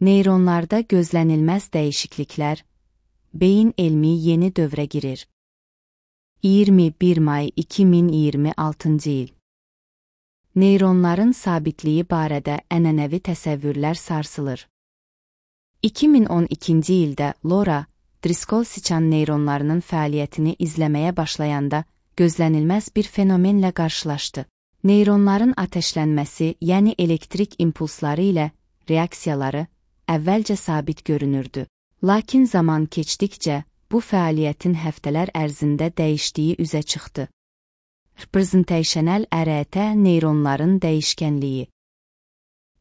Neyronlarda gözlənilməz dəyişikliklər, beyin elmi yeni dövrə girir. 21 may 2026 il. Neyronların sabitliyi barədə ənənəvi təsəvvürlər sarsılır. 2012-ci ildə Laura Driscoll siçan neyronlarının fəaliyyətini izləməyə başlayanda gözlənilməz bir fenomenlə qarşılaşdı. Neyronların ateşlənməsi, yəni elektrik impulsları ilə reaksiyaları əvvəlcə sabit görünürdü. Lakin zaman keçdikcə bu fəaliyyətin həftələr ərzində dəyişdiyi üzə çıxdı. Representational ərəətə neyronların dəyişkənliyi.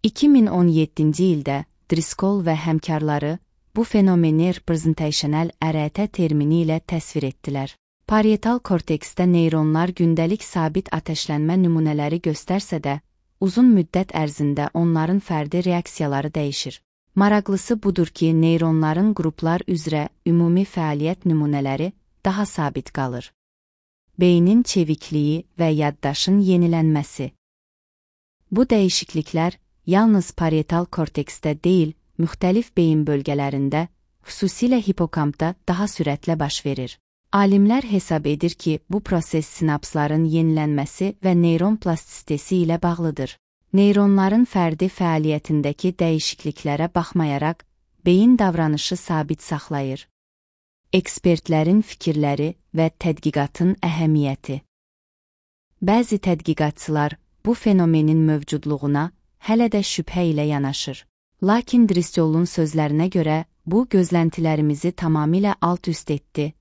2017-ci ildə Driscoll və həmkarları bu fenomeni representational ərəətə termini ilə təsvir etdilər. Parietal korteksdə neyronlar gündəlik sabit ateşlənmə nümunələri göstərsə də, uzun müddət ərzində onların fərdi reaksiyaları dəyişir. Maraqlısı budur ki, neyronların qruplar üzrə ümumi fəaliyyət nümunələri daha sabit qalır. Beynin çevikliyi və yaddaşın yenilənməsi. Bu dəyişikliklər yalnız parietal korteksdə deyil, müxtəlif beyin bölgələrində, xüsusilə hipokampda daha sürətlə baş verir. Alimlər hesab edir ki, bu proses sinapsların yenilənməsi və neyron plastisitesi ilə bağlıdır. Neyronların fərdi fəaliyyətindəki dəyişikliklərə baxmayaraq, beyin davranışı sabit saxlayır. Ekspertlərin fikirləri və tədqiqatın əhəmiyyəti. Bəzi tədqiqatçılar bu fenomenin mövcudluğuna hələ də şübhə ilə yanaşır. Lakin Driscoll'un sözlərinə görə bu gözləntilərimizi tamamilə alt-üst etdi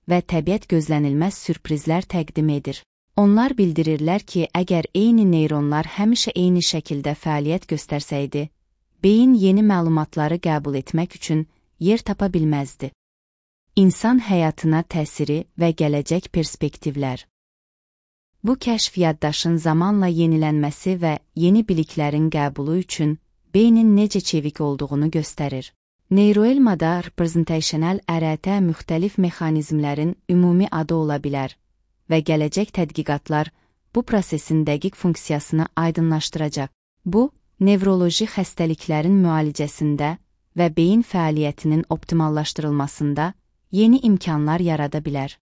və təbiət gözlənilməz sürprizlər təqdim edir. Onlar bildirirlər ki, əgər eyni neyronlar həmişə eyni şəkildə fəaliyyət göstərsəydi, beyin yeni məlumatları qəbul etmək üçün yer tapa bilməzdi. İnsan həyatına təsiri və gələcək perspektivlər. Bu kəşf yaddaşın zamanla yenilənməsi və yeni biliklərin qəbulu üçün beynin necə çevik olduğunu göstərir. Neuroelmada representational ərəətə müxtəlif mexanizmlərin ümumi adı ola bilər və gələcək tədqiqatlar bu prosesin dəqiq funksiyasını aydınlaşdıracaq. Bu, nevroloji xəstəliklərin müalicəsində və beyin fəaliyyətinin optimallaşdırılmasında yeni imkanlar yarada bilər.